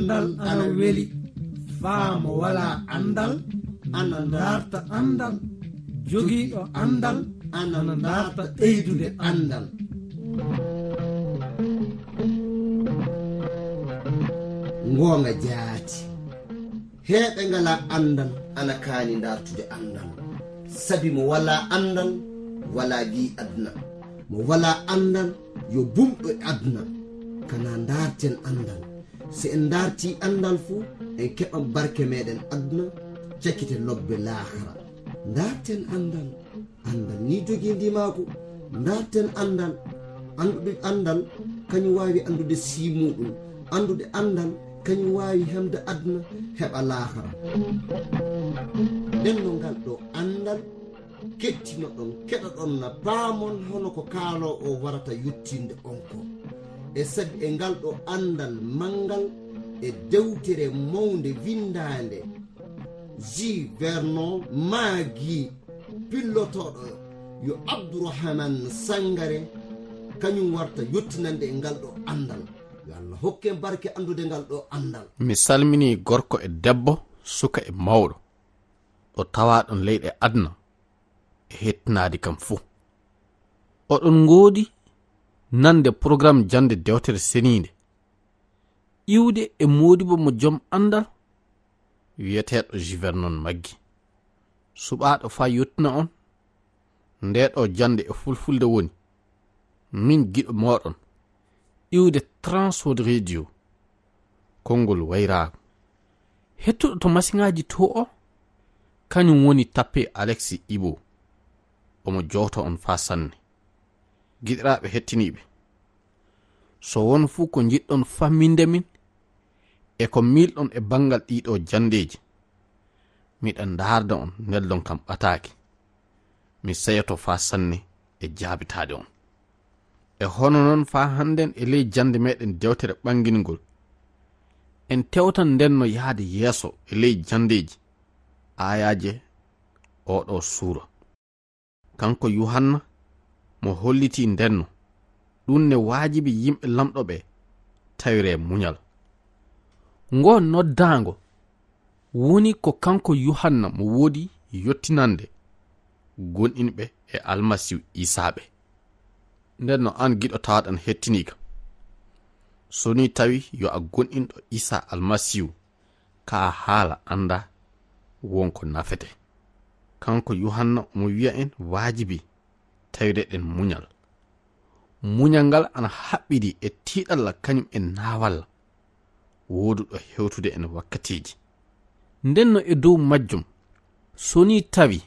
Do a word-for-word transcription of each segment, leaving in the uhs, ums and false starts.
Anndal ana weli, faa mo walaa anndal ana ndaarta anndal, jogiiɗo anndal ana ndaarta ɓeydude anndal. Ngoonga jaati. Heɓe ngalaa anndal ana kaani ndaartude anndal. Sabi mo walaa anndal, walaa gii aduna. Mo walaa anndal, yo bumɗo e aduna. Kana ndaarten anndal. Si en ndaartii anndal fu, en keɓan barke meɗen aduna, cakite lobbe laakara. Ndaarten anndal. Anndal ni jogii ndimaagu. Ndaarten anndal. Anndude anndal, kañum waawi anndude sii muuɗum. Anndude anndal, kañum waawi hemde aduna, heɓa laakara. Nden no ngal ɗo anndal kettinoɗon, keɗoɗon na paamon hono ko kaaloo o warata yottinde on ko. E sabi e ngal ɗo anndal manngal e dewtere mawnde winndaande J. Vernon Maggi, pillotooɗo yo Abdourahmane Sangare, kañum warta yottinande e ngal ɗo anndal. Yo Allah hokken barke anndude ngal ɗo anndal. Mi salminii gorko e debbo, suka e mawɗo, ɗo tawaaɗon leyɗe aduna e hettinaade kam fuu. Oɗon ngoodi nande programme jannde dewtere seniinde, iwde e moodibo mo jom anndal, wiyeteeɗo J. Vernon Maggi. Suɓaaɗo faa yottina on, ndee ɗo jannde e fulfulde woni, min giɗo mooɗon, iwde Transworld Radio, konngol wayraago. Hettuɗo to masiŋaaji to o, kañum woni tappe Alexis Ibo. Omo jowta on faa sanne. Giɗiraaɓe hettiniiɓe, so won fuu ko njiɗɗon famminde min e ko miilɗon e banngal ɗii ɗo janndeeji, miɗa ndaarda on, neldon kam ɓataake. Mi seyoto faa sanne e jaabitaade on. E hono noon faa hannden e ley jannde meɗen dewtere ɓanngingol, en tewtan nden no yahde yeeso e ley janndeeji aayaaje oo ɗo suura. Kanko Yuhanna mo hollitii ndenno, ɗum ne waajibi yimɓe Laamɗo ɓe tawiree muñal. Ngoo noddaango woni ko kanko Yuhanna mo woodi yottinande gonɗinɓe e Almasiihu Iisaa ɓe. Nden no aan giɗo tawaaɗo ana hettiniika, so nii tawi yo a gonɗinɗo Iisaa Almasiihu, kaa haala anndaa won ko nafete. Kanko Yuhanna omo wiya en waajibi tawireɗen muñal. Muñal ngal ana haɓɓidi e tiiɗalla kañum e naawalla wooduɗo hewtude en wakkatiiji. Nden no e dow majjum, so nii tawi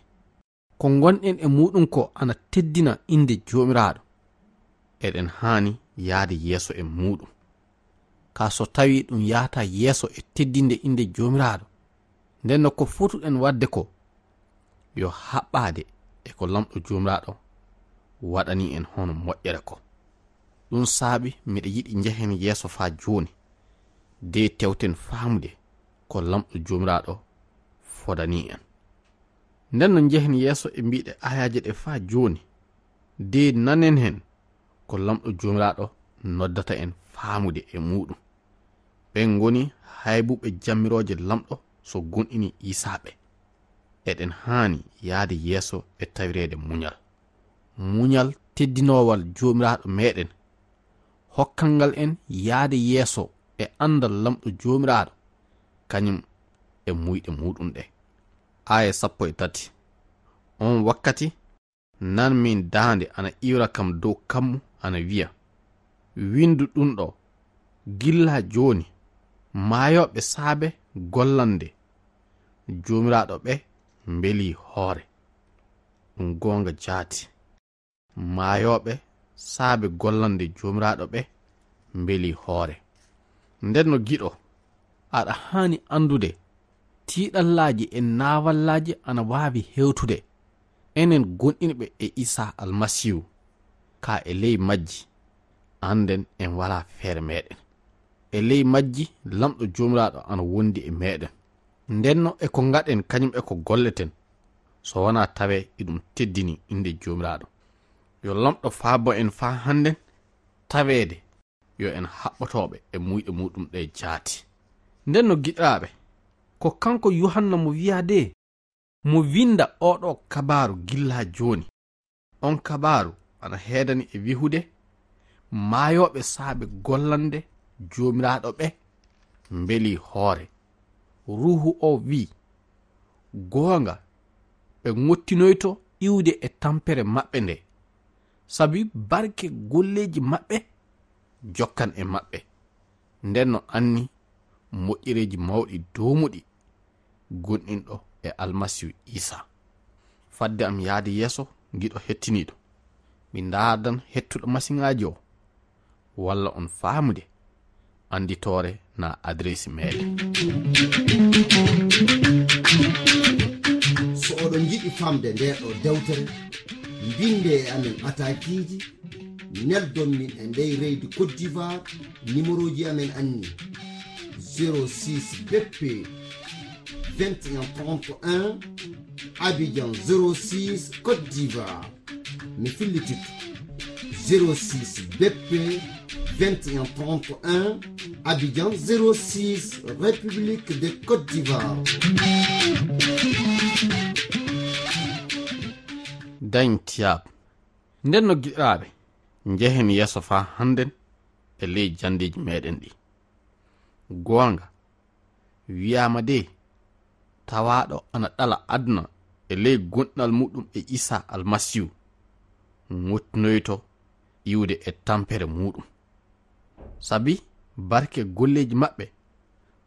ko ngonɗen e muuɗum ko ana teddina innde Joomiraaɗo, eɗen haani yahde yeeso e muuɗum. Kaa so tawii ɗum yahataa yeeso e teddinde innde Joomiraaɗo, nden no ko fotuɗen waɗde ko yo haɓɓaade e ko Laamɗo Joomiraaɗo waɗani en hono moƴƴere ko. Ɗum saabi miɗa yiɗi njehen yeeso faa jooni, de tewten faamude ko Laamɗo Joomiraaɗo fodani en. Nden no njehen yeeso e mbiɗe aayaaje ɗe faa jooni, de nanen hen ko Laamɗo Joomiraaɗo noddata en faamude e muuɗum. Ɓen ngoni haybuɓe jammirooje Laamɗo so gonɗini Iisaa ɓe. Eɗen haani yahde yeeso e tawireede muñal. Muñal teddinoowal Joomiraaɗo meɗen, hokkangal en yahde yeeso e anndal Laamɗo Joomiraaɗo, kañum e muyɗe muuɗum ɗe. Aaya sappo e tati. On wakkati, nan min daande ana iwra kam dow kammu ana wiya, "Winndu ɗum ɗo, gilla jooni, maayooɓe saabe gollande Joomiraaɗo ɓe mbelii hoore." Ɗum goonga jaati. Maayooɓe saabe gollande Joomiraaɗo ɓe mbelii hoore. Nden no giɗo, aɗa haani anndude tiiɗallaaji e naawallaaji ana waawi hewtude enen gonɗinɓe e Iisaa Almasiihu, kaa e ley majji, annden en walaa feere meɗen. E ley majji, Laamɗo Joomiraaɗo ana wondi e meɗen. Nden no e ko ngaɗen kañum e ko golleten, so wanaa tawee iɗum teddini innde Joomiraaɗo. Yo Laamɗo faabo en faa hannden taweede yo en haɓɓotooɓe e muyɗe muuɗum ɗe jaati. Nden no giɗaaɓe, ko kanko Yuhanna mo wi'aa de, mo winda oɗo kabaaru gilla jooni. On kabaaru ana heedani e wihude, maayooɓe saabe gollande Joomiraaɗo ɓe mbeli hoore. Ruuhu o wi'i, goonga, ɓe ngottinoyto iwde e tampere maɓɓe nde, sabi barke golleeji maɓɓe jokkan e maɓɓe. Nden no anni moƴƴereeji mawɗi doomuɗi gonɗinɗo e Almasiihu Iisaa. Fadde am yaade yeeso, giɗo hettiniiɗo, mi ndaadan hettuɗo masiŋaaji o, walla on faamude annditoore na adresi meɗen. So oɗon njiɗi famde nde ɗo dewtere, mbinde e amen ɓataakiiji, neldon min e ndey leydi Côte d'Ivoire, numéroji amen anni: zéro six B P vingt et un trente et un, Abidjan zéro six, Côte d'Ivoire. Mi fillititto: zéro six B P vingt et un trente et un, Abidjan zéro six, République de Côte d'Ivoire. Dañ tiyaab. Nden no giɗaaɓe, njehen yeeso faa hannden e ley janndeeji meɗen ɗi. Goonga, wi'aama de, tawaaɗo ana ɗala aduna e ley gonɗinal muɗum e Iisaa Almasiihu, ngottinoyto iwde e tampere muɗum. Sabi barke golleeji maɓɓe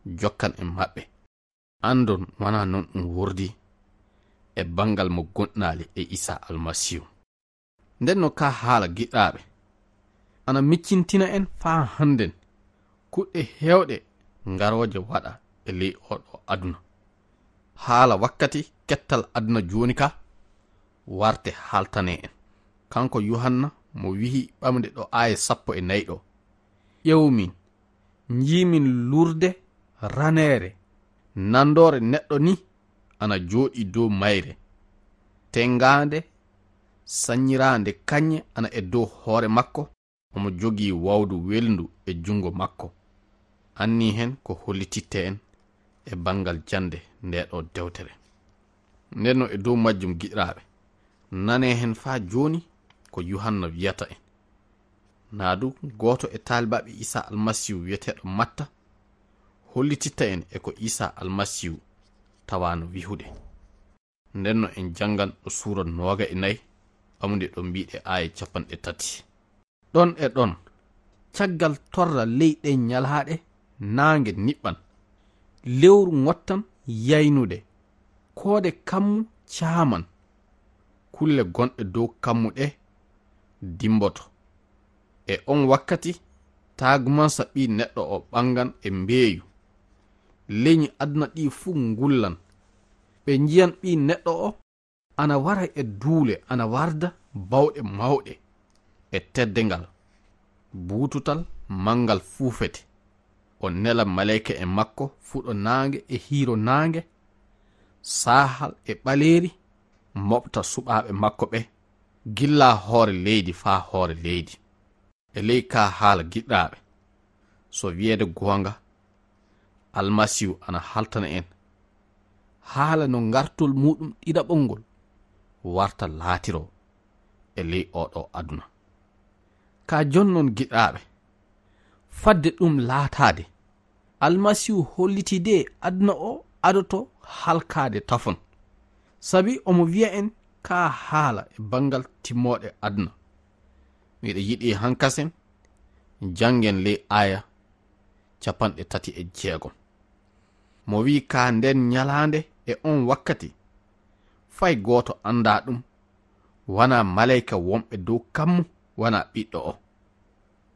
jokkan e maɓɓe. Anndon wanaa non ɗum wordi e banngal mo gonɗinaali e Iisaa Almasiihu. Nden no kaa haala giɗaaɓe, ana miccintina en faa hannden kuɗɗe heewɗe ngarooje waɗa e ley oo ɗoo aduna. Haala wakkati kettal aduna jooni ka, warte haaltanee en. Kanko Yuhanna mo wi'i ɓamde ɗo aaya sappo e nayi ɗo, ƴeew min, njii min lurde raneere nandoore neɗɗo ni ana jooɗii dow mayre, tenngaande, sannyiraande kañe ana e dow hoore makko, omo jogii wawdu welndu e junngo makko. Anni hen ko hollititte en e banngal jannde ndee ɗoo dewtere. Nden no e dow majjum giɗiraaɓe, nanee hen faa jooni ko Yuhanna wiyata en. Naa du gooto e taalibaaɓe Iisaa Almasiihu wiyeteeɗo Matta hollititta en e ko Iisaa Almasiihu tawaano wihude. Nden no en janngan ɗo suura nooga e nayi, ɓamude ɗo mbiiɗe aaya capanɗe tati. Ɗon e ɗon, caggal torra ley ɗen ñalaaɗe, naange niɓɓan, lewru ŋottan yaynude, koode kammu caaman, kulle gonɗe dow kammu ɗe dimmboto. E on wakkati, taagumansa Ɓii Neɗɗo o ɓanngan e mbeeyu. Lenyi aduna ɗi fuu ngullan. Ɓe njiyan Ɓii Neɗɗo o ana wara e duule, ana warda bawɗe mawɗe e teddengal, buututal manngal fuufete. O nela maleyka e makko fuɗo naange e hiiro naange, saahal e ɓaleeri, moɓta suɓaaɓe makko ɓe, gilla hoore leydi faa hoore leydi. E ley kaa haala giɗɗaaɓe, so wiyeede goonga, Almasiihu ana haltana en haala no ngartol muuɗum ɗiɗaɓol ngol warta laatiroo e ley oo ɗoo aduna. Kaa jon non giɗɗaaɓe, fadde ɗum laataade, Almasiihu hollitii de aduna o adoto halkaade tafon. Sabi omo wiya en kaa haala e banngal timmooɗe aduna. Miɗo yiɗi hankasen janngen ley aaya capanɗe tati e jeegom. Mo wi'i kaa nden ñalaande e on wakkati, fay gooto anndaa ɗum, wanaa maleyka wonɓe dow kammu, wanaa ɓiɗɗo o.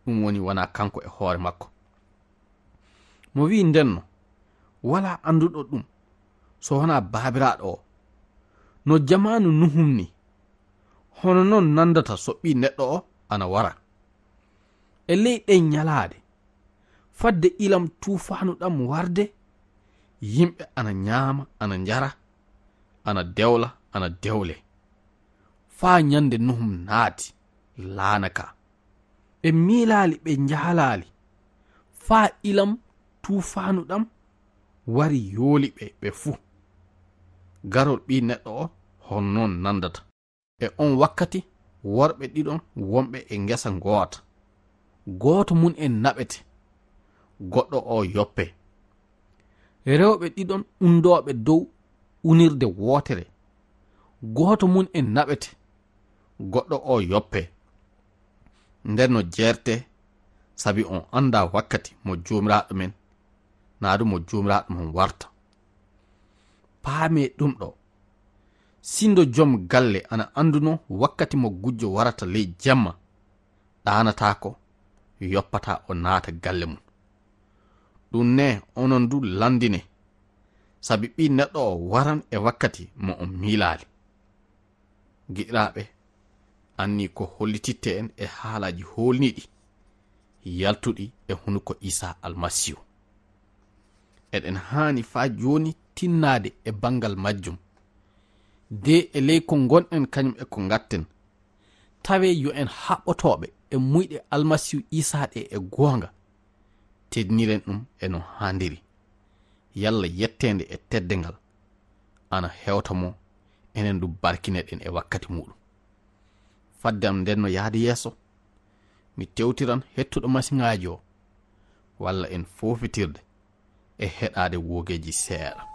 Ɗum woni wanaa kanko e hoore makko. Mo wi'i ndenno, walaa annduɗo ɗum so wanaa Baabiraaɗo o. No jamaanu Nuhum ni, hono non nanndata so Ɓii Neɗɗo o ana wara. E ley ɗen ñalaaɗe, fadde ilam tuufaanu ɗam warde, yimɓe ana ñaama, ana njara, ana dewla, ana dewle. Faa ñande Nuhum naati laana ka. Ɓe miilaali, ɓe njaalaali, faa ilam tuufaanu ɗam wari yooli ɓe ɓe fuu. Garol Ɓii Neɗɗo o honnoon nandata? E on wakkati, worɓe ɗiɗon wonɓe e ngesa ngoota. Gooto mum en naɓete, goɗɗo o yoppe. Rewɓe ɗiɗon undooɓe dow unirde wootere. Gooto mum en naɓete, goɗɗo o yoppe. Nden no jeerte, sabi on anndaa wakkati mo Joomiraaɗo men, naa du mo Joomiraaɗo mon warta. Paamee ɗum ɗo. Sindo jom galle ana anduno wakkati mo gujjo warata ley jemma, ɗaanataako, yoppata o naata galle mum. Ɗum ne onon du landine, sabi Ɓii Neɗɗo o waran e wakkati mo on miilaali. Giɗiraaɓe, anni ko hollititte en e haalaaji hoolniiɗi, yaltuɗi e hunuko Iisaa Almasiihu. Eɗen haani faa jooni tinnaade e banngal majjum. De e ley ko ngonɗen kañum e ko ngatten, tawee yo en haɓɓotooɓe e muyɗe Almasiihu Iisaa ɗe e goonga, teddiniren ɗum e no haandiri. Yalla yetteende e teddengal ana hewta mo, enen du barkineɗen e wakkati muuɗum. Fadde am nden no yahde yeeso, mi tewtiran hettuɗo masiŋaaji o, walla en foofitirde e heɗaade woogeeji seeɗa.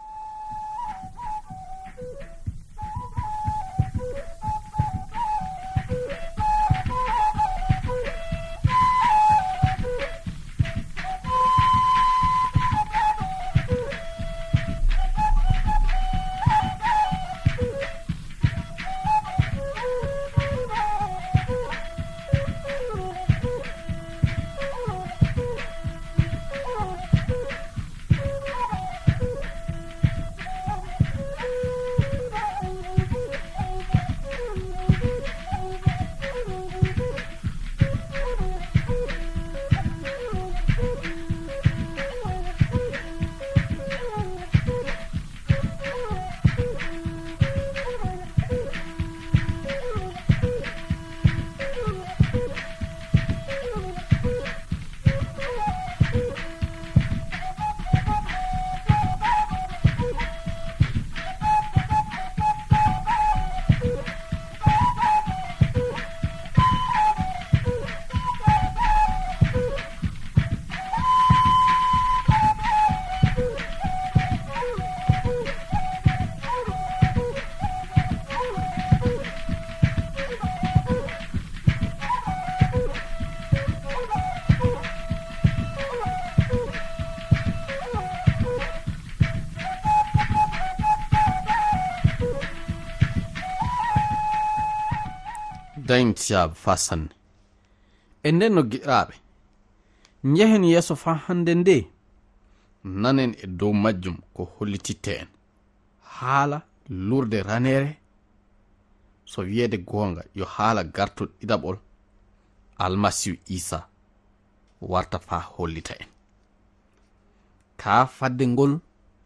Dañtiyaaɓe faa sanne. E nden no giɗiraaɓe, njehen yeeso faa hande nde, nanen e dow majjum ko hollititte en. Haala lurde raneere, so wiyeede goonga, yo haala gartol ɗiɗaɓol Almasiihu Iisaa warta faa hollita en. Kaa fadde ngol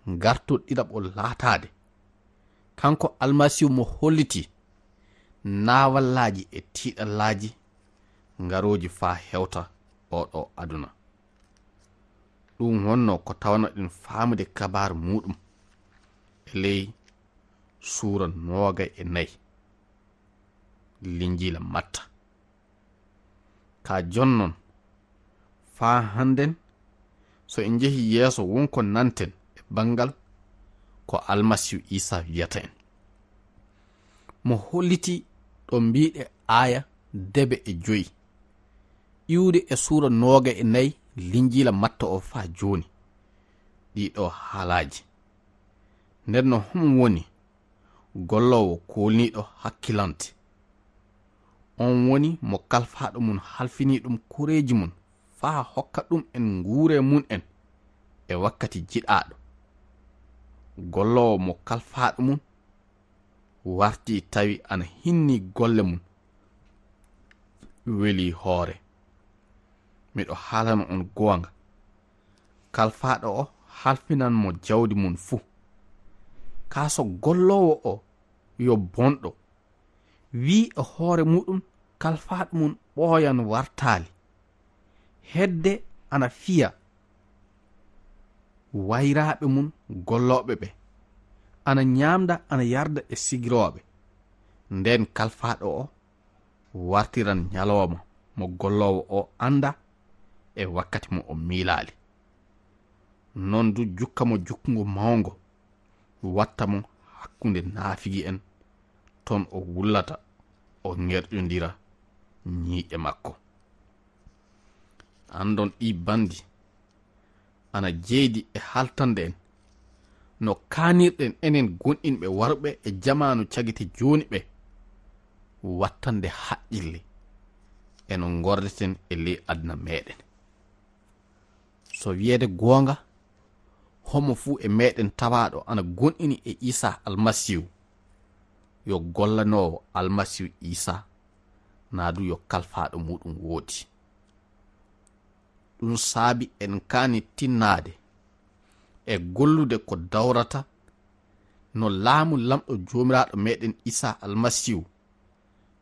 gartol ɗiɗaɓol laataade, kanko Almasiihu mo holliti naawallaaji e tiiɗallaaji ngarooji faa hewta oo ɗoo aduna. Ɗum wonnoo ko tawanoɗen faamude kabaaru muuɗum e ley suura noogay e nayi Linjiila Matta. Ka jonnon, faa hannden, so en njehii yeeso, won ko nanten e banngal ko Almasiihu Iisaa wiyata en. Mo holliti ɗo mbiiɗe aaya debe e joyi, iwde e suura nooga e nayi Linjiila Matta o faa jooni, ɗii ɗoo haalaaji. Nden no homo woni golloowo koolniiɗo hakkilante? On woni mo kalfaaɗo mum halfini ɗum koreeji mum faa hokka ɗum en nguure mum en e wakkati jiɗaaɗo. Golloowo mo kalfaaɗo mum warti tawi ana hinni golle mum weli hoore. Miɗo haalana on goonga, kalfaaɗo o halfinan mo jawdi mum fuu. Kaa so golloowo o yo bonɗo, wii e hoore muɗum kalfaaɗo mum ɓooyan wartaali. Hedde ana fiya wayraaɓe mum gollooɓe ɓe, ana nyaamda, ana yarda e sigirooɓe. Nden kalfaaɗo o wartiran nyalooma mo golloowo o annda e wakkati mo o miilaali. Non du jukka mo jukkungo mawngo, watta mo hakkunde naafigi'en, ton o wullata, o ŋerƴondira nyiiƴe makko. Andon ɗi bandi ana jeydi e haltande en, no kaanirɗen enen gonɗinɓe warɓe e jamaanu cagite jooni ɓe, wattande haqqille e no ngordeten e ley aduna meɗen. So wiyeede goonga, homo fuu e meɗen tawaaɗo ana gonɗini e Iisaa Almasiihu, yo gollanoowo Almasiihu Iisaa, naa du yo kalfaaɗo muuɗum woodi. Ɗum saabi en kaani tinnaade e gollude ko dawrata no laamu Laamɗo Joomiraaɗo meɗen Iisaa Almasiihu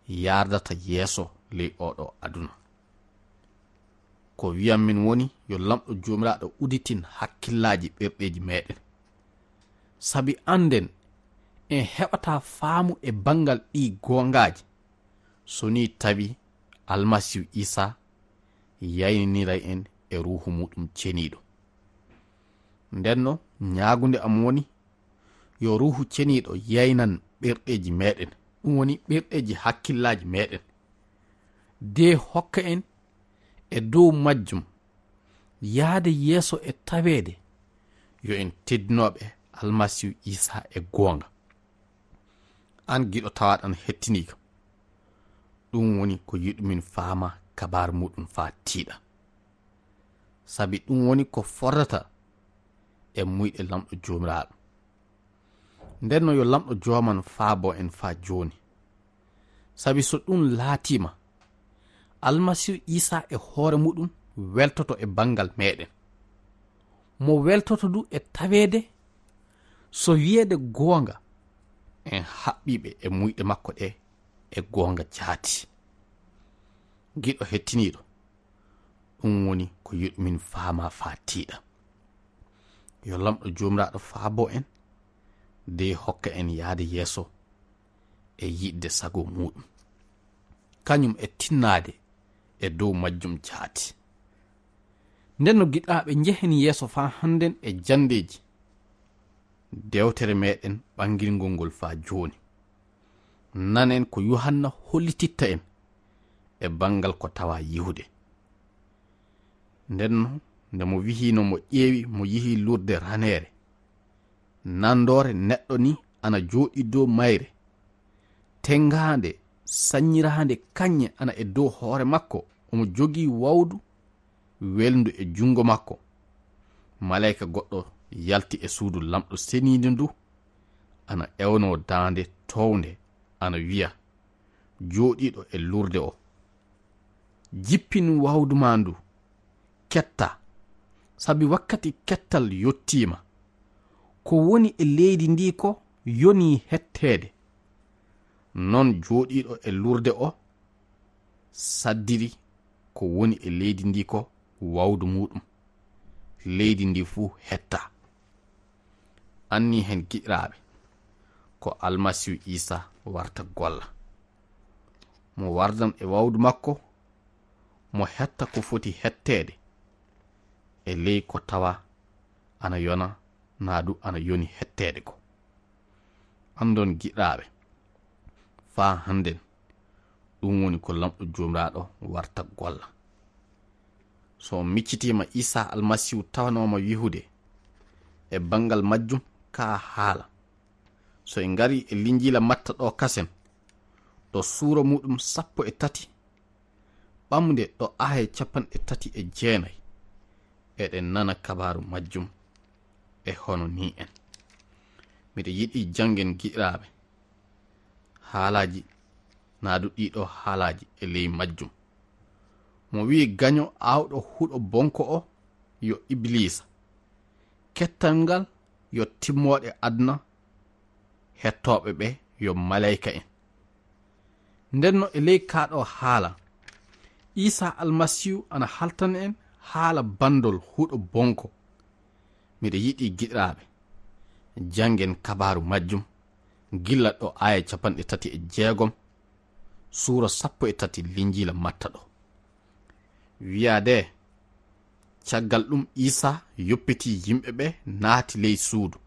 yaardata yeeso ley oɗo aduna. Ko wi'an min woni yo Laamɗo Joomiraaɗo uditin hakkillaaji ɓerɗeeji meɗen. Sabi annden en heɓataa faamu e banngal ɗii goongaaji, so nii tawi Almasiihu Iisaa yayniniray en e Ruuhu muuɗum Ceniiɗo. Ndenno, nyaagunde am woni, yo Ruuhu Ceniiɗo yaynan ɓerɗeeji meɗen, ɗum woni ɓerɗeeji hakkillaaji meɗen, de hokka en e dow majjum yaade yeeso e taweede yo en teddinooɓe Almasiihu Iisaa e goonga. Aan giɗo tawaaɗo ana hettiniika, ɗum woni ko yiɗumin faama kabaaru muuɗum faa tiiɗa. Sabi ɗum woni ko fordata e muyɗe Laamɗo Joomiraaɗo. Ndenno yo Laamɗo Jooman faabo en faa jooni. Sabi so ɗum laatiima, Almasiihu Iisaa e hoore muuɗum weltoto e banngal meɗen. Mo weltoto du e taweede, so wiyeede goonga, en haɓɓiiɓe e muyɗe makko ɗe e goonga jaati. Giɗo hettiniiɗo, ɗum woni ko yiɗumin faama faa tiiɗa. Yo Laamɗo Joomiraaɗo faabo en, de hokka en yaade yeeso e yiɗde sago muuɗum, kañum e tinnaade e dow majjum jaati. Ndenno giɗaaɓe, njehen yeeso faa hannden e janndeeji dewtere meɗen ɓangirngol ngol faa jooni. Nanen ko Yuhanna hollititta en e banngal ko tawaa yihude. Ndenno, nde mo wihiino mo ƴeewi mo yihi lurde raneere, nandoore neɗɗo ni ana jooɗii dow mayre, tenngaande, sanyiraande kañe ana e dow hoore makko, omo jogii wawdu welndu e junngo makko. Maleyka goɗɗo yalti e suudu Laamɗo Seniiɗo ndu, ana ewnoo daande toownde, ana wiya jooɗiiɗo e lurde o, "Jippin wawdu maa ndu, ketta, sabi wakkati kettal yottiima. Ko woni e leydi ndi ko yonii hetteede." Non jooɗiiɗo e lurde o saddiri ko woni e leydi ndi ko wawdu muuɗum. Leydi ndi fuu hetta. Anni hen giɗiraaɓe, ko Almasiihu Iisaa warta golla. Mo wardan e wawdu makko, mo hetta ko foti hetteede, e ley ko tawa ana yona, naa du ana yoni hetteede ko. Andon giɗiraaɓe, faa hannden, ɗum woni ko Laamɗo Joomiraaɗo warta golla. So on miccitiima Iisaa Almasiihu tawanooma wihude e banngal majjum kaa haala. So en ngarii e Linjiila Matta ɗo kasen, ɗo suura muuɗum sappo e tati, ɓamde ɗo aaye capanɗe tati e jeenay, eɗen nana kabaaru majjum e hono nii en. Miɗo yiɗi janngen giɗiraaɓe haalaaji, naa du ɗiɗo haalaaji e ley majjum. Mo wi'i gaño aawɗo huɗo bonko o yo Ibiliisa. Kettal ngal yo timmooɗe aduna, hettooɓe ɓe yo maleyka en. Ndenno e ley kaa ɗo haala, Iisaa Almasiihu ana haltana en haala banndol huɗo bonko. Miɗo yiɗi, giɗiraaɓe, janngen kabaaru majjum, gilla ɗo aaya capanɗe tati e jeegom, suura sappo e tati Linjiila Matta ɗo. Wiyaade, caggal ɗum Iisaa yoppitii yimɓe ɓe naati ley suudu.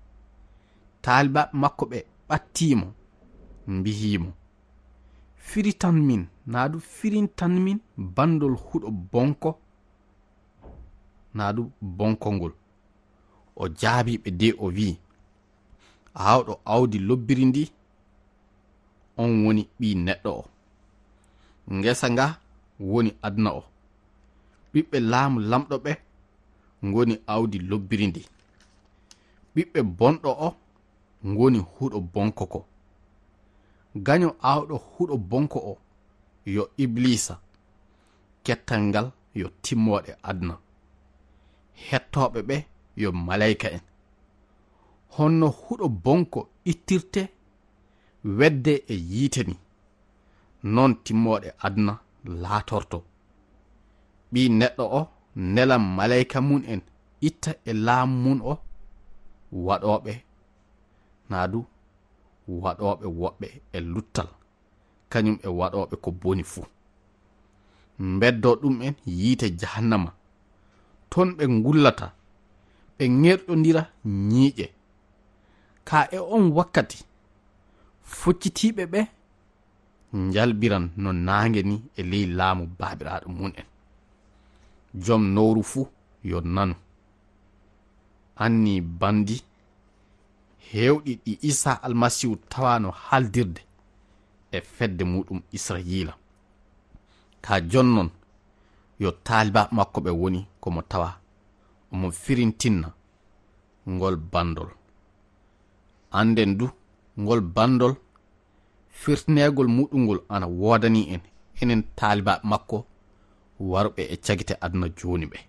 Taalibaaɓe makko ɓe ɓattii mo, mbiyi mo, "Firitan min, naa du firintan min banndol huɗo bonko, naa du bonko ngol." O jaabii ɓe de o wi'i, "Aawɗo aawdi lobbiri ndi, on woni Ɓii Neɗɗo o. Ngesa nga woni aduna o. Ɓiɓɓe laamu Laamɗo ɓe ngoni aawdi lobbiri ndi. Ɓiɓɓe bonɗo o ngoni huɗo bonko ko. Gaño aawɗo huɗo bonko o yo Ibliisa. Kettal ngal yo timmooɗe aduna. Hettooɓe ɓe yo maleyka en. Honno huɗo bonko ittirte wedde e yiite ni, non timmooɗe aduna laatorto. Ɓii Neɗɗo o nelan maleyka mum en itta e laamu mum o waɗooɓe, naa du waɗooɓe woɓɓe e luttal, kañum e waɗooɓe ko boni fuu. Mbeddoo ɗum en yiite jahannama. Ton ɓe ngullata, ɓe ŋerƴondira ñiiƴe. Ka e on wakkati, foccitiiɓe ɓe njalbiran no naange ni e ley laamu Baabiraaɗo mum en. Jom nowru fuu yo nanu." Anni bandi heewɗi ɗi Iisaa Almasiihu tawaano haaldirde e fedde muuɗum Israyiila. Ka jonnon, yo taalibaaɓe makko ɓe woni ko mo tawa omo firintinna ngol banndol. Annden du, ngol banndol, firtineegol muuɗum ngol ana woodani en, enen taalibaaɓe makko warɓe e cagite aduna jooni ɓe.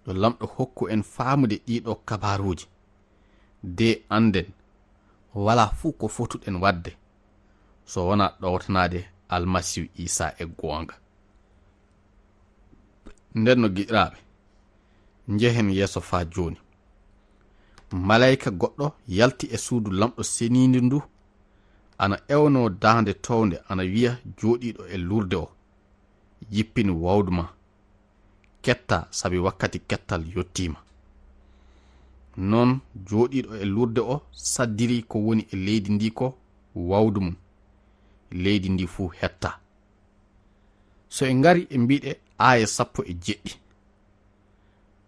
Yo Laamɗo hokku en faamude ɗiɗo kabaaruuji, de annden walaa fuu ko fotuɗen waɗde so wonaa ɗowtanaade Almasiihu Iisaa e goonga. Nden no, giɗiraaɓe, njehen yeeso faa jooni. Maleyka goɗɗo yalti e suudu Laamɗo seniindu ndu, ana ewnoo daande townde, ana wiya jooɗiiɗo e lurde o, "Jippin wawdu ma. Ketta, sabi wakkati kettal yottiima." Non jooɗiiɗo e lurde o saddiri ko woni e leydi ndi ko wawdu mum. Leydi ndi fuu hetta. So en ngari e mbiɗe aaya sappo e jeɗɗi.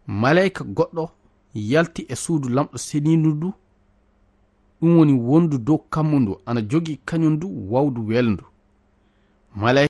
Maleyka goɗɗo yalti e suudu Laamɗo seniindu ndu, ɗum woni wondu dow kammu ndu, ana jogii kañum ndu wawdu welndu. Maleyka